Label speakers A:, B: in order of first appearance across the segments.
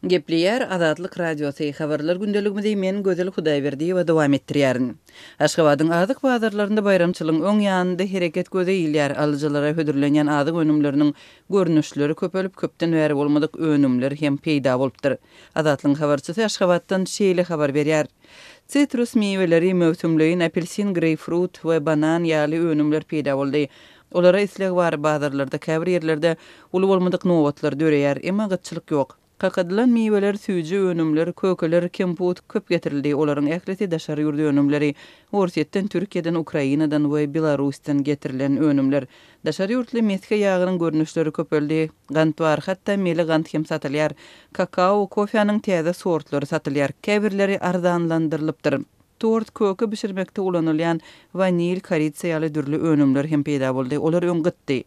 A: Gepleýär Azatlyk Radiosy, Habarlar gündeligimizi men Gözel Hudaýberdiýewa dowam etdirýärin. Aşgabadyň azyk bazarlarynda baýramçylygyň öň ýanynda hereket göze ilýär. Alyjylara hödürlenýän azyk önümleriniň görnüşleri köpelip, köpden bäri bolmadyk önümler hem peýda bolupdyr. Azatlygyň habarçysy Aşgabatdan şeýle habar berýär. Sitrus miweleri, möwsümleýin apelsin, greýpfrut we banan ýaly önümler peýda boldy. Olara isleg bar, bazarlarda käbir ýerlerde uly bolmadyk nobatlar döreýär, emma gytçylyk ýok. Kakadylan miweler, süýji önümler, kökeler, kemput köp getirildi, olaryň ählisi daşary ýurt önümleri, Orsýetden, Türkiýeden, Ukrainadan we Belarusdan getirilen önümler. Daşary ýurtly mesge ýagynyň görnüşleri köpeldi, gant bar, hatda mele gant hem satylýar. Kakao, kofäniň täze sortlary satylýar, käbirleri arzanlandyrylypdyr. Tort, köke bişirmekde ulanylýan wanil, koritsa ýaly dürli önümler hem peýda boldy. Olar öň gytdy.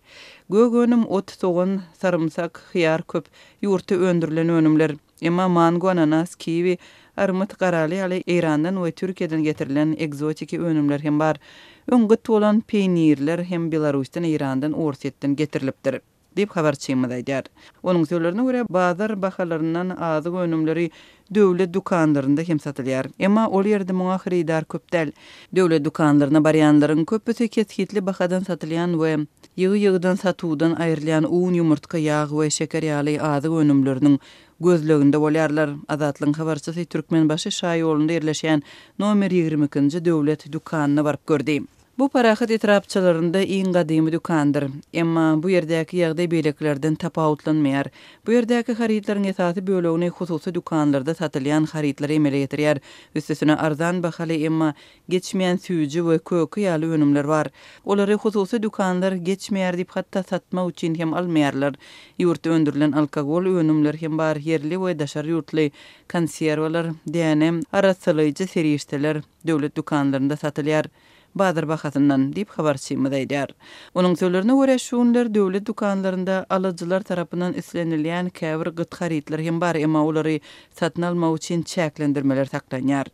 A: Gök önüm, ot, sogan, sarymsak, hyýar köp. Ýurtda öndürilen önümler. Emma mango, ananas, kiwi, armyt, garaly ýaly Eýrandan we Türkiýeden getirilen ekzotiki önümler hem bar. Öň gyt bolan peýnirler hem Belarusdan, Eýrandan, Orsýetden getirilipdir. Diýip, habarçymyz aýdýar. Onuň sözlerine görä, bazar bahalaryndan azyk önümleri döwlet dükanlarynda hem satylýar. Emma ol ýerde muňa hyrydar köp däl. Döwlet dükanlaryna barýanlaryň köpüsi kesgitli bahadan satylýan we ýygy-ýygydan satuwdan aýrylýan un, ýumurtga, ýag we şeker ýaly azyk önümleriniň gözleginde bolýarlar. Azatlygyň habarçysy Türkmenbaşy şaýolunda ýerleşýän nomer 22-nji döwlet dükanyna baryp gördi. Bu Parahat etrapçalarynda iň gadymy dükandyr. Emma bu ýerdäki ýagdaý beýlekilerden tapawutlanmaýar. Bu ýerdäki harytlaryň esasy bölegini hususy dükanlarda satylýan harytlar emele getirýär. Üstesine arzan bahaly, emma geçmeýän süýji we köke ýaly önümler bar. Olary hususy dükanlar geçmeýär diýip hatda satmak üçin hem almaýarlar. Ýurtda öndürilen alkogol önümleri hem bar, ýerli we daşary ýurtly konserwalar, däne, arassalaýjy serişdeler. döwlet dükanlarynda satylýar. Bazar bahasyndan, diýip, habarçymyz aýdýar. Onuň sözlerine görä, şu günler döwlet dükanlarynda alyjylar tarapyndan islenilýän käbir gyt harytlar hem bar, emma olary satyn almak üçin çäklendirmeler saklanýar.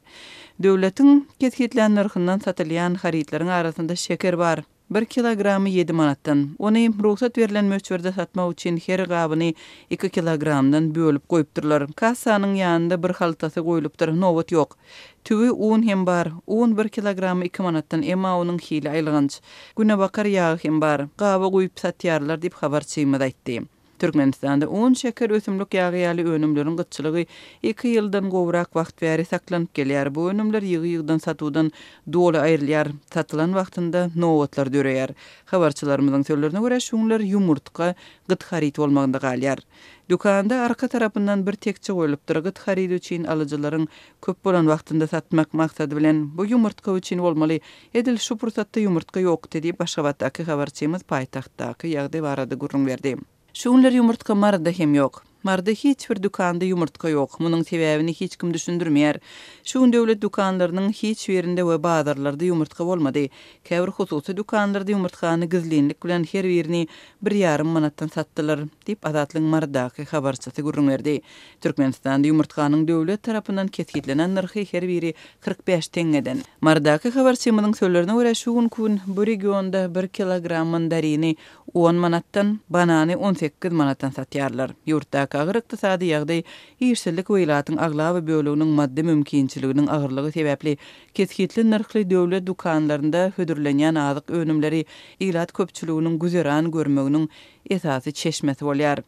A: Döwletiň kesgitlän nyrhyndan satylýan harytlaryň arasynda şeker bar. Bir kilogramy ýedi manatdan. Ony rugsat berlen möçberde satmak üçin her gabyny iki kilogramdan bölüp goýupdyrlar. Kassanyň ýanynda bir haltasy goýlupdyr, nobat ýok. Tüwi un hem bar. Un bir kilogramy iki manatdan, emma onuň hili aýylganç. Günebakar ýagy hem bar. Gaba guýup satýarlar diýip, habarçymyz aýtdy. Türkmenistanda un, şeker, ösümlik ýagy ýaly önümleriň gytçylygy iki ýyldan gowrak wagt bäri saklanyp gelýär. Bu önümler ýygy-ýygydan satuwdan doly aýrylýar. Satylan wagtynda nobatlar döreýär. Habarçylarymyzyň sözlerine görä, şu günler ýumurtga gyt haryt bolmagynda galýar. Dükanda arka tarapyndan bir tekje goýlupdyr. Gyt haryt üçin alyjylaryň köp bolan wagtynda satmak maksady bilen, bu ýumurtga üçin bolmaly. Edil şu pursatda ýumurtga ýokdy diýip, Aşgabatdaky habarçymyz paýtagtdaky ýagdaý barada gürrüň berdi. Şu günler ýumurtga Maryda hem ýok. Maryda hiç bir dükanda ýumurtga ýok. Munuň sebäbini hiç kim düşündirmeýär. Şu gün döwlet dükanlarynyň hiç birinde we bazarlarda ýumurtga bolmady. Käbir hususy dükanlarda ýumurtgany gizlinlik bilen her birini bir ýarym manatdan satdylar, diýip, Azatlygyň Marydaky habarçysy gürrüň berdi. Türkmenistanda ýumurtganyň döwlet tarapyndan kesgitlenen nyrhy her biri 45 teňňeden. Marydaky habarçymyzyň sözlerine görä, şu günki gün bu regionda bir kilogram mandarini on manatdan, banany 18 manatdan satýarlar. Ýurtdaky agyr ykdysady ýagdaý, işsizlik we ilatyň aglaba böleginiň maddy mümkinçiliginiň agyrlygy sebäpli kesgitli nyrhly döwlet dükanlarynda hödürlenýän azyk önümleri ilat köpçüliginiň güzeran görmeginiň esasy çeşmesi bolýar.